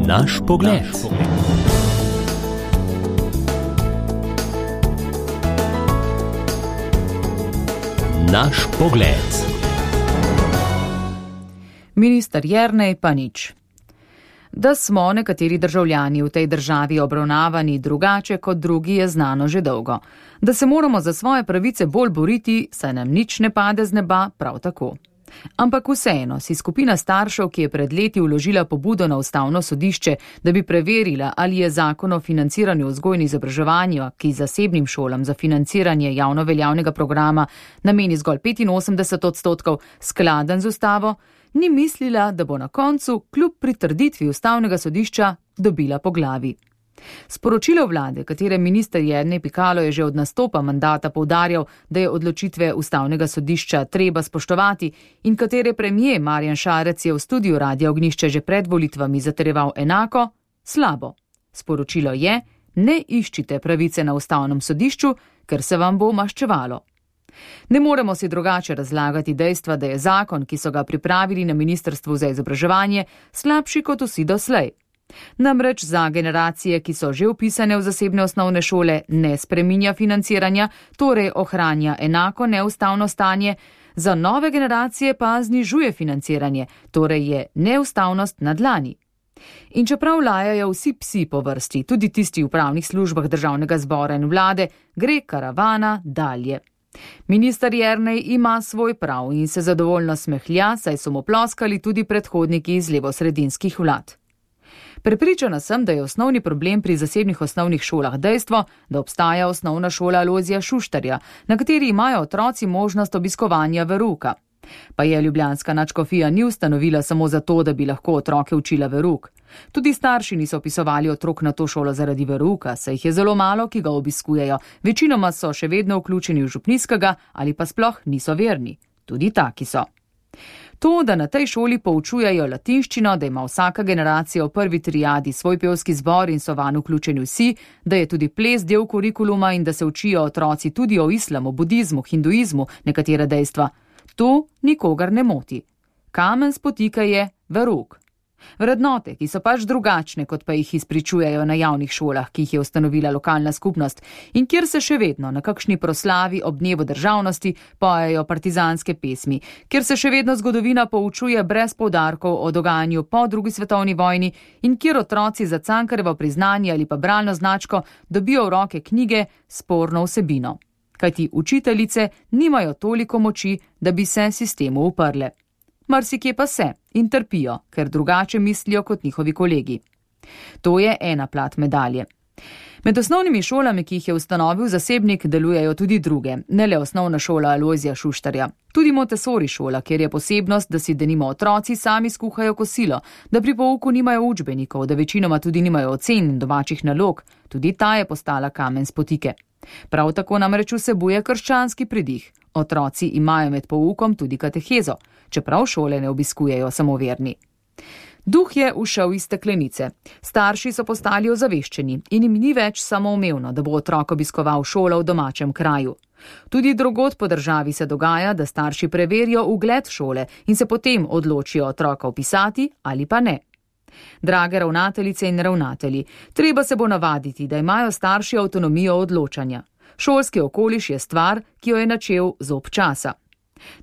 Naš pogled. Naš pogled. Minister Jernej pa nič. Da smo nekateri državljani v tej državi obravnavani drugače kot drugi, je znano že dolgo. Da se moramo za svoje pravice bolj boriti, saj nam nič ne pade z neba, prav tako. Ampak vseeno si skupina staršev, ki je pred leti vložila pobudo na Ustavno sodišče, da bi preverila, ali je zakon o financiranju vzgoje in izobraževanja, ki zasebnim šolam za financiranje javno veljavnega programa nameni zgolj 85%, skladen z ustavo, ni mislila, da bo na koncu, kljub pritrditvi Ustavnega sodišča, dobila po glavi. Sporočilo vlade, katere minister Jernej Pikalo je že od nastopa mandata poudarjal, da je odločitve Ustavnega sodišča treba spoštovati in katere premijer Marjan Šarec je v studiu Radia Ognjišče že pred volitvami zatrjeval enako, slabo. Sporočilo je, ne iščite pravice na Ustavnem sodišču, ker se vam bo maščevalo. Ne moremo si drugače razlagati dejstva, da je zakon, ki so ga pripravili na Ministrstvu za izobraževanje, slabši kot vsi doslej. Namreč za generacije, ki so že vpisane v zasebne osnovne šole, ne spreminja financiranja, torej ohranja enako neustavno stanje, za nove generacije pa znižuje financiranje, torej je neustavnost na dlani. In čeprav lajajo vsi psi po vrsti, tudi tisti v pravnih službah Državnega zbora in vlade, gre karavana dalje. Minister Jernej ima svoj prav in se zadovoljno smehlja, saj so mu ploskali tudi predhodniki iz levosredinskih vlad. Prepričana sem, da je osnovni problem pri zasebnih osnovnih šolah dejstvo, da obstaja osnovna šola Alojzija Šuštarja, na kateri imajo otroci možnost obiskovanja verouka. Pa je ljubljanska nadškofija ni ustanovila samo zato, da bi lahko otroke učila verouk. Tudi starši niso vpisovali otrok na to šolo zaradi verouka, saj jih je zelo malo, ki ga obiskujejo. Večinoma so še vedno vključeni v župnijskega ali pa sploh niso verni. Tudi taki so. To, da na tej šoli poučujejo latinščino, da ima vsaka generacija v prvi triadi svoj pevski zbor in so vanj vključeni vsi, da je tudi ples del kurikuluma in da se učijo otroci tudi o islamu, budizmu, hinduizmu, nekatera dejstva. To nikogar ne moti. Kamen spotika je verouk. Vrednote, ki so pač drugačne, kot pa jih izpričujejo na javnih šolah, ki jih je ustanovila lokalna skupnost in kjer se še vedno na kakšni proslavi ob dnevu državnosti pojejo partizanske pesmi, kjer se še vedno zgodovina poučuje brez poudarkov o dogajanju po drugi svetovni vojni in kjer otroci za Cankarjevo priznanje ali pa bralno značko dobijo v roke knjige s sporno vsebino. Kajti učiteljice nimajo toliko moči, da bi se sistemu uprle. Marsikje pa se in trpijo, ker drugače mislijo kot njihovi kolegi. To je ena plat medalje. Med osnovnimi šolami, ki jih je ustanovil zasebnik, delujejo tudi druge, ne le osnovna šola Alojzija Šuštarja. Tudi Montessori šola, kjer je posebnost, da si denimo otroci sami skuhajo kosilo, da pri pouku nimajo učbenikov, da večinoma tudi nimajo ocen in domačih nalog. Tudi ta je postala kamen spotike. Prav tako namreč vsebuje krščanski pridih. Otroci imajo med poukom tudi katehezo, čeprav šole ne obiskujejo samo verni. Duh je ušel iz steklenice. Starši so postali ozaveščeni in jim ni več samoumevno, da bo otrok obiskoval šolo v domačem kraju. Tudi drugod po državi se dogaja, da starši preverijo ugled šole in se potem odločijo otroka vpisati ali pa ne. Drage ravnateljice in ravnatelji, treba se bo navaditi, da imajo starši avtonomijo odločanja. Šolski okoliš je stvar, ki jo je načel zob časa.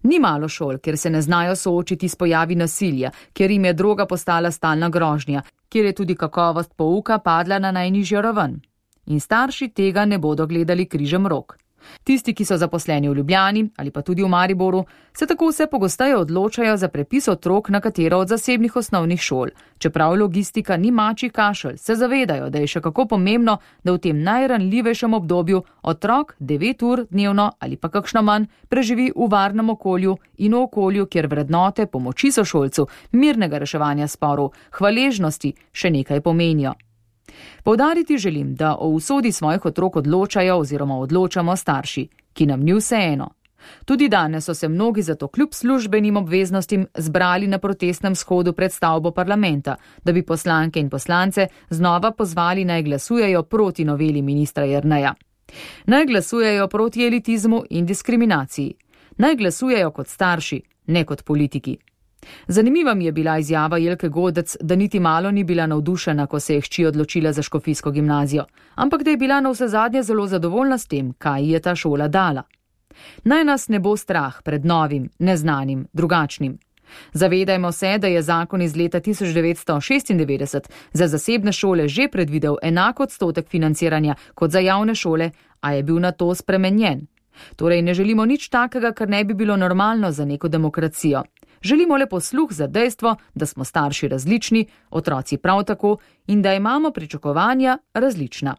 Ni malo šol, kjer se ne znajo soočiti s pojavi nasilja, kjer jim je droga postala stalna grožnja, kjer je tudi kakovost pouka padla na najnižjo raven. In starši tega ne bodo gledali križem rok. Tisti, ki so zaposleni v Ljubljani ali pa tudi v Mariboru, se tako vse pogosteje odločajo za prepis otrok na katero od zasebnih osnovnih šol. Čeprav logistika ni mačji kašelj, se zavedajo, da je še kako pomembno, da v tem najranljivejšem obdobju otrok 9 ur dnevno ali pa kakšno manj preživi v varnem okolju in v okolju, kjer vrednote pomoči sošolcu, mirnega reševanja sporov, hvaležnosti še nekaj pomenijo. Poudariti želim, da o usodi svojih otrok odločajo oziroma odločamo starši, ki nam ni vseeno. Tudi danes so se mnogi zato kljub službenim obveznostim zbrali na protestnem shodu pred stavbo parlamenta, da bi poslanke in poslance znova pozvali naj glasujejo proti noveli ministra Jerneja. Naj glasujejo proti elitizmu in diskriminaciji. Naj glasujejo kot starši, ne kot politiki. Zanimiva mi je bila izjava Jelke Godec, da niti malo ni bila navdušena, ko se je hči odločila za škofijsko gimnazijo, ampak da je bila navsezadnje zelo zadovoljna s tem, kaj ji je ta šola dala. Naj nas ne bo strah pred novim, neznanim, drugačnim. Zavedajmo se, da je zakon iz leta 1996 za zasebne šole že predvidel enak odstotek financiranja kot za javne šole, a je bil na to spremenjen. Torej ne želimo nič takega, kar ne bi bilo normalno za neko demokracijo. Želimo le posluh za dejstvo, da smo starši različni, otroci prav tako in da imamo pričakovanja različna.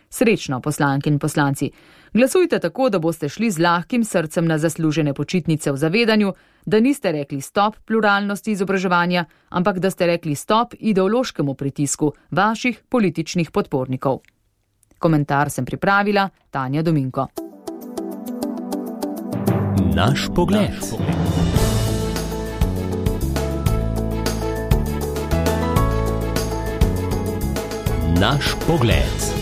Srečno, poslanke in poslanci. Glasujte tako, da boste šli z lahkim srcem na zaslužene počitnice v zavedanju, da niste rekli stop pluralnosti izobraževanja, ampak da ste rekli stop ideološkemu pritisku vaših političnih podpornikov. Komentar sem pripravila Tanja Dominko. Naš pogled. Naš pogled.